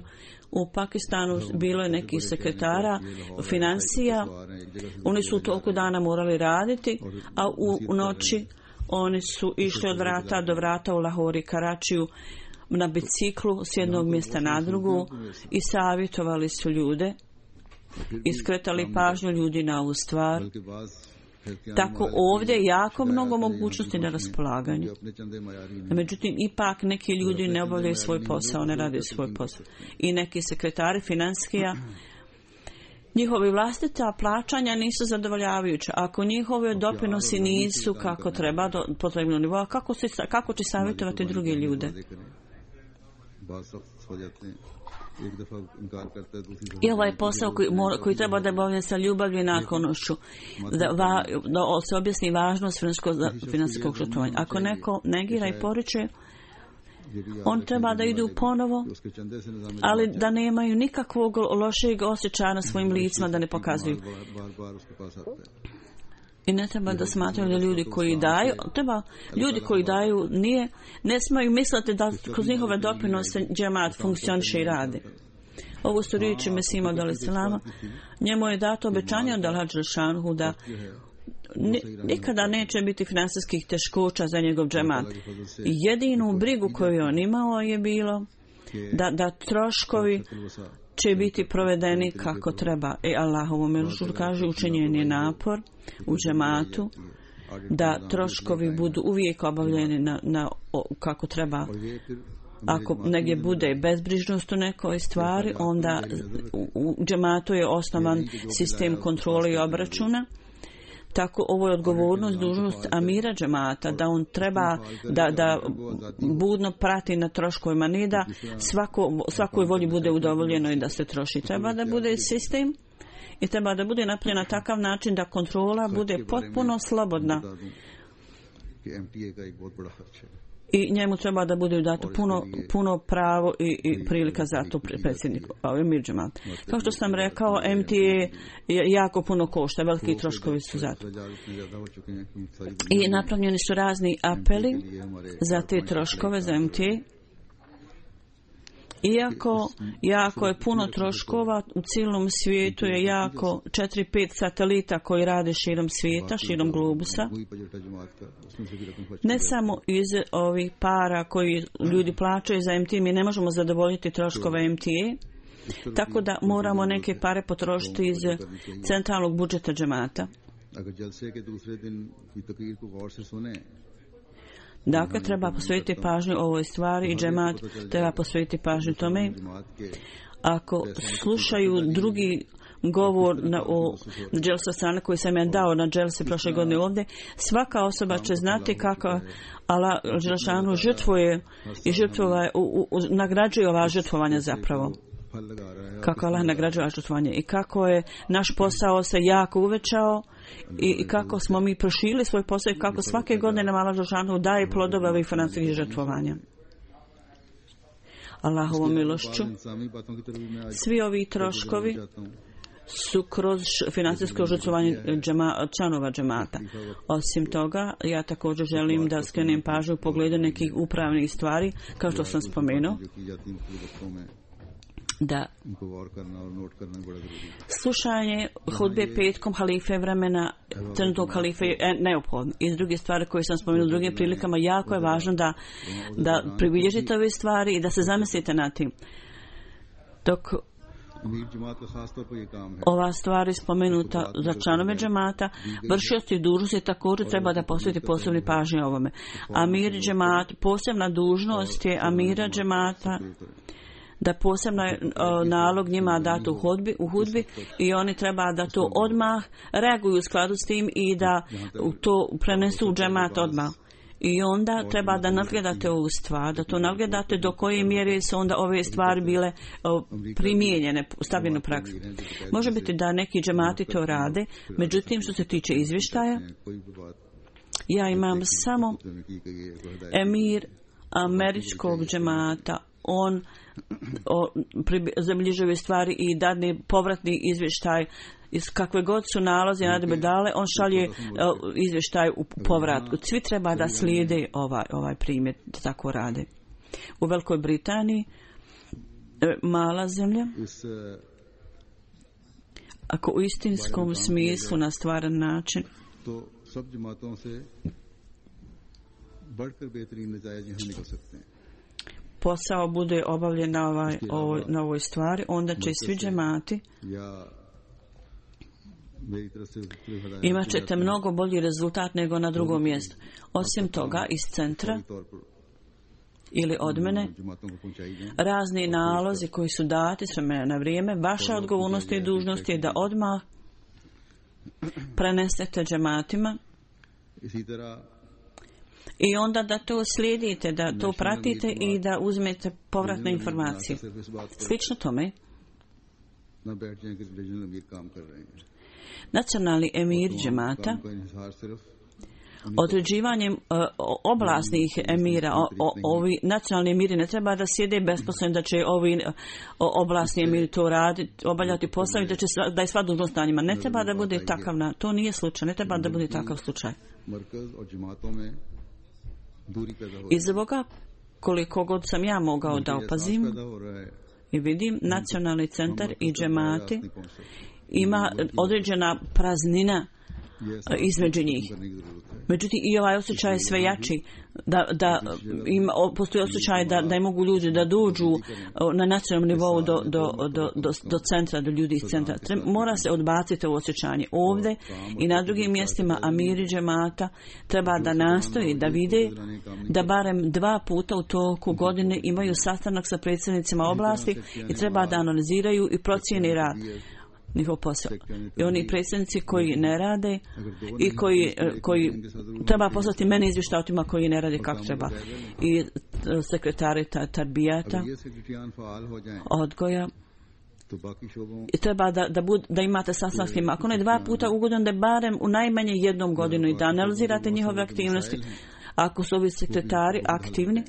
U Pakistanu bilo je nekih sekretara financija. Oni su toliko dana morali raditi, a u noći oni su išli od vrata do vrata u Lahori, Karačiju, na biciklu s jednog mjesta na drugu i savjetovali su ljude i skretali pažnju ljudi na ovu stvar. Tako ovdje je jako mnogo mogućnosti na raspolaganju. Međutim, ipak neki ljudi ne obavljaju svoj posao, ne rade svoj posao. I neki sekretari financijskija, njihovi vlastita plaćanja nisu zadovoljavajuća. Ako njihovi doprinosi nisu kako treba, do potrebnog nivoa, kako, se, kako će savjetovati druge ljude? I ovaj posao koji, koji treba da obavlja sa ljubavlju i naklonošću, da, va, da se objasni važnost financijskog žrtvovanja. Ako neko negira i poriče, on treba da idu ponovo, ali da nemaju nikakvog lošeg osjećaja na svojim licima, da ne pokazuju. I ne treba da smatraju da ljudi koji daju, treba, ljudi koji daju nije, ne smiju misliti da kroz njihove doprinose džemat funkcioniše i radi. Ovo su riječi Mesima od Alisalama. Njemu je dato obećanje od Allaha Đelešanuhu da nikada neće biti finansijskih teškoća za njegov džemat. Jedinu brigu koju on imao je bilo da, da troškovi će biti provedeni kako treba. I Allahovu milošću kaže učinjen je napor u džematu da troškovi budu uvijek obavljeni na, na, kako treba. Ako negdje bude bezbrižnost u nekoj stvari, onda u džematu je osnovan sistem kontrole i obračuna. Tako ovo je odgovornost, dužnost amira džemata, da on treba da, da budno prati na troškovima, ne da svako, svakoj volji bude udovoljeno i da se troši. Treba da bude sistem i treba da bude napravljen na takav način da kontrola bude potpuno slobodna. I njemu treba da bude dato puno, puno pravo i, i prilika za to predsjednik Emir džemata. Kao što sam rekao, M T A je jako puno košta, veliki troškovi su za to. I napravljeni su razni apeli za te troškove, za M T A. Iako jako je puno troškova, u cijelom svijetu je jako četiri pet satelita koji rade širom svijeta, širom globusa. Ne samo iz ovih para koji ljudi plaćaju za M T A, mi ne možemo zadovoljiti troškove M T A, tako da moramo neke pare potrošiti iz centralnog budžeta džemata. Dakle, treba posvetiti pažnju ovoj stvari i džemat treba posvetiti pažnju tome. Ako slušaju drugi govor na, o dželsa strane koji sam ja dao na dželsi prošle godine ovdje, svaka osoba će znati kako Allah Đelešanu žrtvuje i žrtvova, u, u, u, nagrađuje ova žrtvovanja zapravo. Kako Allah nagrađuje žrtvovanje i kako je naš posao se jako uvećao i, i kako smo mi proširili svoj posao i kako svake godine nam Allah Đelešanu daje plodove ovih financijskih žrtvovanja. Allahovom milošću svi ovi troškovi su kroz financijsko žrtvovanje džema, članova džemata. Osim toga, ja također želim da skrenem pažnju u pogledu nekih upravnih stvari, kao što sam spomenuo, da slušanje hudbe petkom halife vremena trenutnog halife je neophodno. I s druge stvari koje sam spomenula u drugim prilikama, jako je važno da, da pribilježite ove stvari i da se zamislite na tim. Dok ova stvar je spomenuta za članove džemata, vršioci dužnosti također treba da posveti posebni pažnje ovome. Amir džemat, posebna dužnost je amira džemata da posebno je nalog njima dati u hudbi, u hudbi i oni treba da to odmah reaguju u skladu s tim i da to prenesu u džemat odmah. I onda treba da nadgledate ovu stvar, da to nadgledate do koje mjere su onda ove stvari bile primijenjene, stavljene u praksu. Može biti da neki džemati to rade, međutim što se tiče izvještaja, ja imam samo emir američkog džemata, on zabilježuje stvari i dadne povratni izvještaj iz kakve god su nalaze i naredbe dale, on šalje izvještaj u povratku. Svi treba da slijede ovaj, ovaj primjer, da tako rade. U Velikoj Britaniji, mala zemlja, ako u istinskom smislu na stvaran način posao bude obavljen na, ovaj, ovoj, na ovoj stvari, onda će svi džemati imat ćete mnogo bolji rezultat nego na drugom mjestu. Osim toga, iz centra ili od mene, razni nalozi koji su dati s vremena na vrijeme, vaša odgovornost i dužnost je da odmah prenesete džematima i onda da to slijedite, da to pratite i da uzmete povratne informacije. Slično tome, nacionalni emir džemata određivanjem uh, oblasnih emira, o, o, ovi nacionalni emiri ne treba da sjede besposleno da će ovi o, oblasni emiri to raditi, obavljati posao i da, će, da je sva dužnost na njima. Ne treba da bude takav, na, to nije slučaj, ne treba da bude takav slučaj. I zbog koliko god sam ja mogao da opazim i vidim, nacionalni centar i džemati ima određena praznina između njih. Međutim, i ovaj osjećaj je sve jači, da, da ima, postoji osjećaj da, da mogu ljudi da dođu na nacionalnom nivou do, do, do, do, do centra, do ljudi iz centra. Treba, mora se odbaciti ovo osjećanje. Ovdje i na drugim mjestima amiri džemata treba da nastoji da vide da barem dva puta u toku godine imaju sastanak sa predsjednicima oblasti i treba da analiziraju i procijeni rad. Njihov posao. I oni predsjednici koji ne rade i koji, koji treba poslati mene izvještaj o tima koji ne rade kako treba. I sekretari tarbijata, odgoja. I treba da, da, bud, da imate sastanak s njima. Ako ne dva puta ugodan, da barem u najmanje jednom godinu i da analizirate njihove aktivnosti. Ako su ovi sekretari aktivni,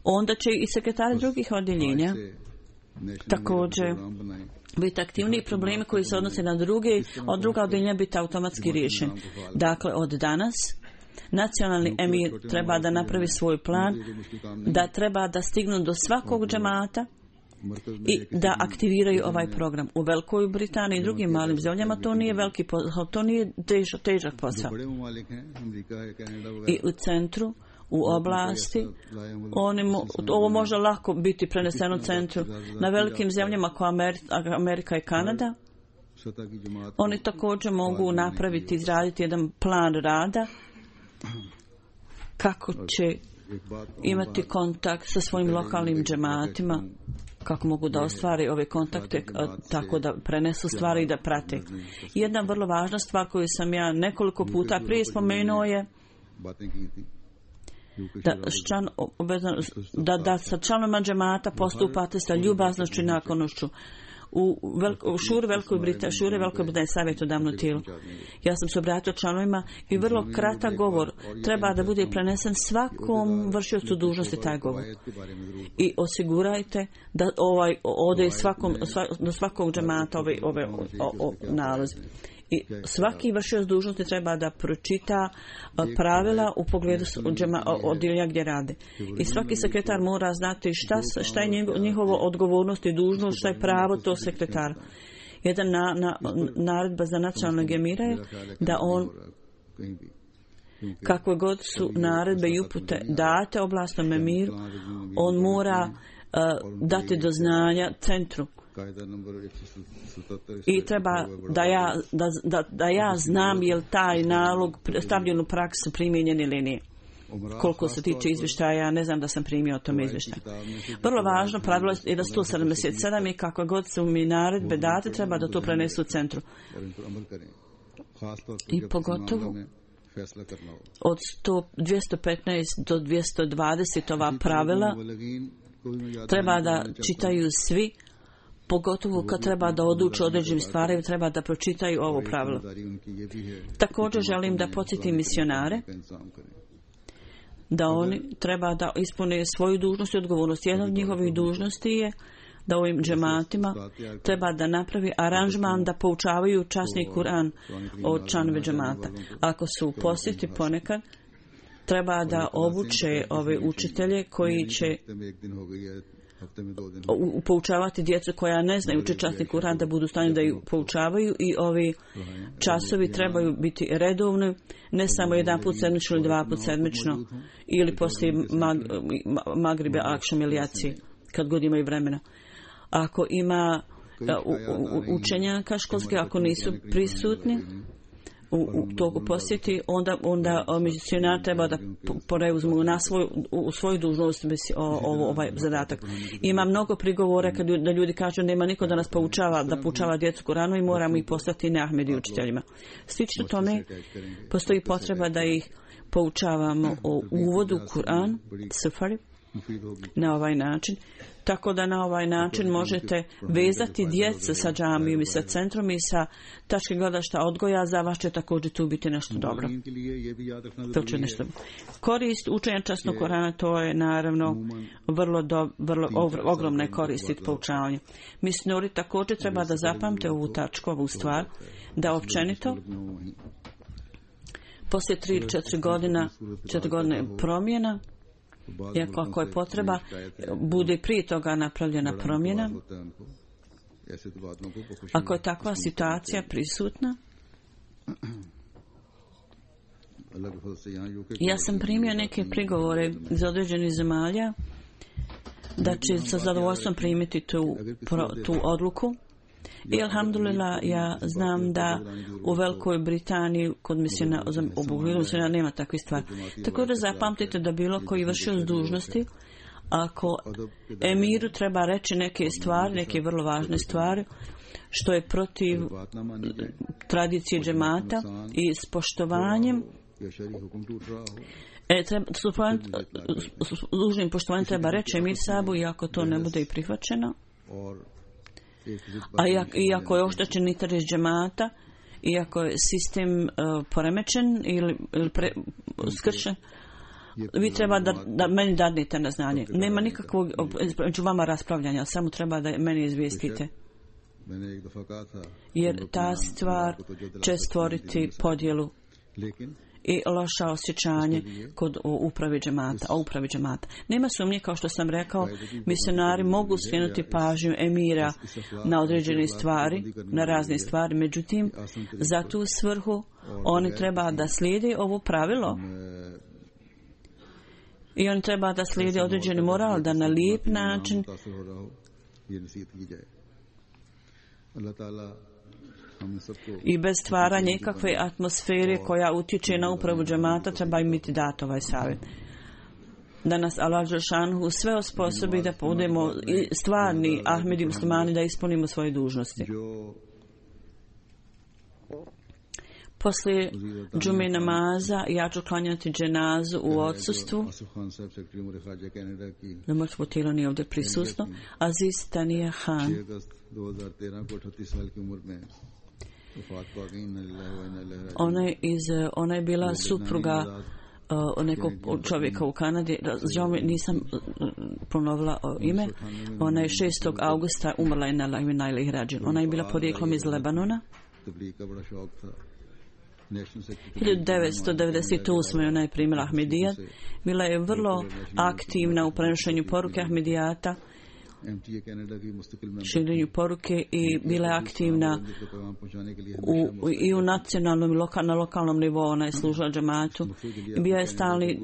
onda će i sekretari drugih odjeljenja također biti aktivni, problemi koji se odnose na druge, od druga odjeljenja biti automatski riješeni. Dakle, od danas nacionalni emir treba da napravi svoj plan, da treba da stignu do svakog džemata i da aktiviraju ovaj program. U Velikoj Britaniji i drugim malim zemljama to nije veliki posao, to nije težak, težak posao. I u centru, u oblasti, oni mo, ovo može lako biti preneseno u centru. Na velikim zemljama kao Amerika i Kanada, oni također mogu napraviti, izraditi jedan plan rada kako će imati kontakt sa svojim lokalnim džematima, kako mogu da ostvari ove kontakte, tako da prenesu stvari i da prate. Jedna vrlo važna stvar koju sam ja nekoliko puta prije spomenuo je da, ščan, da, da sa članovima džemata postupate sa ljubaznošću i naklonošću. U, velik, u šuri Velikoj Britaniji, šuri Velikoj Britaniji savjetodavno tijelo. Ja sam se obratio članovima i vrlo kratak govor treba da bude prenesen svakom vršiocu dužnosti taj govor. I osigurajte da ovaj ode svakom, do svakog džemata ove, ove o, o, nalozi. I svaki vršioc dužnosti treba da pročita pravila u pogledu odjeljenja gdje rade. I svaki sekretar mora znati šta, šta je njihovo odgovornost i dužnost, šta je pravo to sekretara. Jedan na, na, naredba za nacionalnog emira je da on, kakve god su naredbe i upute date oblastnom emiru, on mora uh, dati do znanja centru. I treba da ja, da, da, da ja znam je li taj nalog stavljen u praksu primijenjen ili nije. Koliko se tiče izvještaja, ja ne znam da sam primio o tome izvještaj. Vrlo važno pravilo je da sto sedamdeset sedam i kako god su mi naredbe date, treba da to prenesu u centru. I pogotovo od dvjesto petnaest do dvjesto dvadeset ova pravila treba da čitaju svi, pogotovo kad treba da odluče određenim stvarima, treba da pročitaju ovo pravilo. Također želim da podsjetim misionare da oni treba da ispune svoju dužnost i odgovornost. Jedna od njihovih dužnosti je da ovim džematima treba da napravi aranžman da poučavaju časni Kur'an od članove džemata. Ako su u posjeti ponekad, treba da obuče ove učitelje koji će poučavati djecu koja ne znaju uči časni Kur'an da budu u stanju da ih poučavaju i ovi časovi trebaju biti redovni, ne samo jedan put sedmično ili dva put sedmično ili poslije mag, magribe, akšam ili jaci, kad god imaju vremena. Ako ima u, u, učenjaka školske, ako nisu prisutni u, u toku posjeti, onda, onda misionar treba da preuzmu na svoju, u svoju dužnost ovo, ovaj zadatak. Ima mnogo prigovora kad da ljudi kažu nema niko da nas poučava, da poučava djecu Kuranu i moramo ih postati neahmedi učiteljima. Slično tome postoji potreba da ih poučavamo o uvodu u Kur'an, safari, na ovaj način. Tako da na ovaj način možete vezati djecu sa džamijom i sa centrom i sa tačke gledišta odgoja, za vas će također tu biti nešto dobro. To će nešto. Korist učenja časnog Korana, to je naravno vrlo, do, vrlo ogromne koristi poučavanja. Misionari također treba da zapamte ovu tačku, ovu stvar, da općenito poslije tri ili četiri godina, četiri godine promjena, iako ako je potreba, bude prije toga napravljena promjena. Ako je takva situacija prisutna, ja sam primio neke prigovore iz određenih zemalja da će sa zadovoljstvom primiti tu, tu odluku. I alhamdulillah, ja znam da u Velikoj Britaniji kod misijona, u Buhvilu misijona nema takve stvari. Također zapamtite da bilo koji vršioc dužnosti, ako emiru treba reći neke stvari, neke vrlo važne stvari, što je protiv tradicije džemata i s poštovanjem, E, treba, s dužnim poštovanjem treba reći emir sabu, i ako to ne bude i prihvaćeno, a iako je oštećen interes džemata, iako je sistem uh, poremećen ili, ili pre, skršen, vi treba da, da meni dadnete na znanje. Nema nikakvog među vama raspravljanja, samo treba da meni izvijestite. Jer ta stvar će stvoriti podjelu i loša osjećanje kod upravi džemata, o upravi džemata. Nema sumnje, kao što sam rekao, misionari mogu skrenuti pažnju emira na određene stvari, na razne stvari, međutim, za tu svrhu oni treba da slijede ovo pravilo i oni treba da slijede određeni moral, da na lijep način i bez stvaranja ikakve atmosfere koja utječe na upravu džemata, treba imati dat ovaj savjet. Da nas Allah dželšanhu sve osposobi da budemo stvarni ahmedi muslimani, da ispunimo svoje dužnosti. Poslije džume namaza ja ću klanjati dženazu u odsustvu. Da mrtvo tijelo nije ovdje prisutno. Aziz Tania Khan. Ona je, iz, ona je bila supruga uh, nekog čovjeka u Kanadi. Žao mi, nisam uh, ponovila uh, ime. Ona je šestog augusta umrla je na Lajvinajlih rađen. Ona je bila porijeklom iz Lebanona. hiljadu devetsto devedeset osme ona je primila Ahmedijat. Bila je vrlo aktivna u prenošenju poruke Ahmedijata, širenju poruke, i bila je aktivna u, i u nacionalnom i lokal, na lokalnom nivou. Ona je služila džematu. Bila je stalni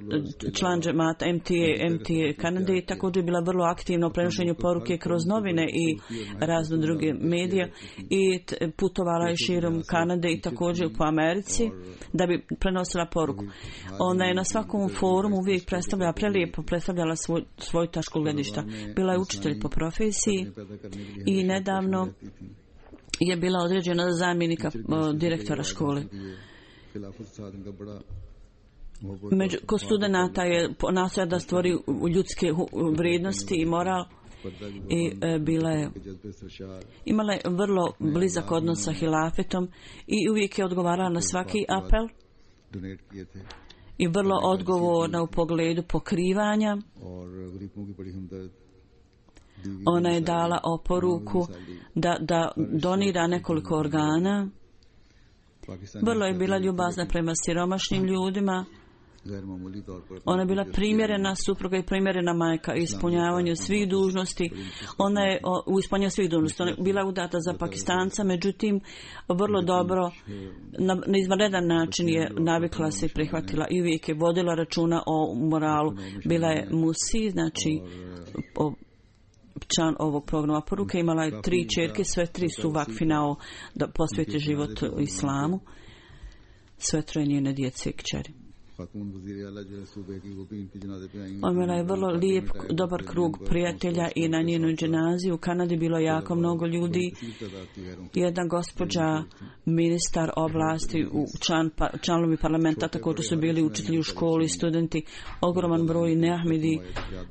član džemata M T A, M T A Kanade, i također je bila vrlo aktivna u prenošenju poruke kroz novine i razne druge medije, i putovala je širom Kanade i također po Americi da bi prenosila poruku. Ona je na svakom forumu uvijek predstavljala, prelijepo predstavljala svoj, svoju tačku gledišta. Bila je učitelj po profesiji i nedavno je bila određena za zamjenika direktora škole. Među, kod studenata je nastoja da stvori ljudske vrijednosti i moral, i e, bila je imala je vrlo blizak odnos sa hilafetom i uvijek je odgovarala na svaki apel i vrlo odgovorna u pogledu pokrivanja. Ona je dala oporuku da, da donira nekoliko organa. Vrlo je bila ljubazna prema siromašnim ljudima Ona je bila primjerena supruga i primjerena majka ispunjavanju svih dužnosti. Ona je u ispunjavanju svih dužnosti. Ona je bila udata za Pakistanca, međutim vrlo dobro na, na izvanredan način je navikla se i prihvatila i uvijek je vodila računa o moralu. Bila je musi, znači o, član ovog programa poruke, imala je tri čerke, sve tri su vakfinao da posveti život islamu, sve troje njene djece i kćeri. Imala je vrlo lijep, dobar krug prijatelja i na njenoj dženazi u Kanadi bilo jako mnogo ljudi. Jedna gospođa, ministar oblasti, član, članovi parlamenta, također su bili učitelji u školi, studenti, ogroman broj neahmedi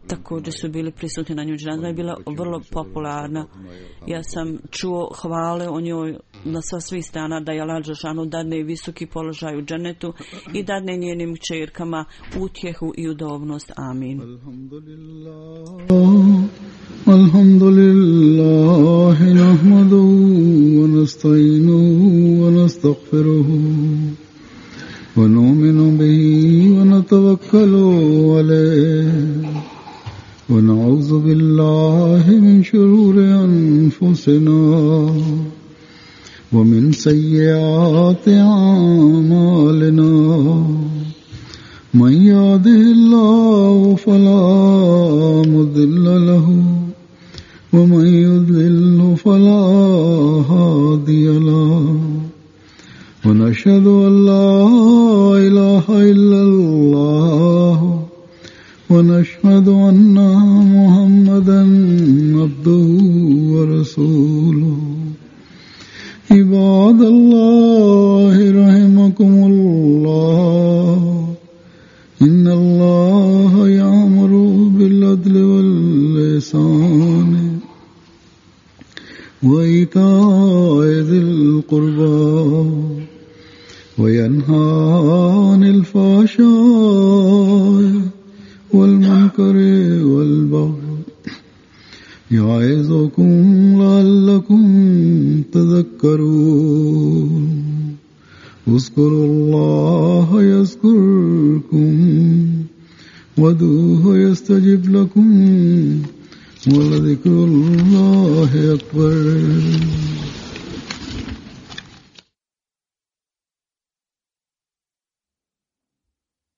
također su bili prisutni na njoj dženazi. Je bila vrlo popularna. Ja sam čuo hvale o njoj na sva svih strana, da je Allah dželešanu dadne visoki položaj u džennetu i dadne njenim čerkama utjehu i udobnost. Amin. Alhamdulillah, nahmaduhu wa nasta'inuhu wa nastaghfiruhu wa nu'minu bihi wa natawakkalu alayhi wa na'udhu billahi min shururi anfusina ومن سيئات أعمالنا من يهده الله فلا مضل له ومن يضلل فلا هادي له ونشهد أن لا إله إلا الله ونشهد أن محمدا عبده ورسوله عباد الله رحمكم الله إن الله يأمر بالعدل والإحسان وإيتاء ذي القربى وينهى عن الفحشاء والمنكر والبغي يعظكم لعلكم تذكرون اذكروا الله يذكركم وادعوه يستجب لكم ولذكر الله أكبر.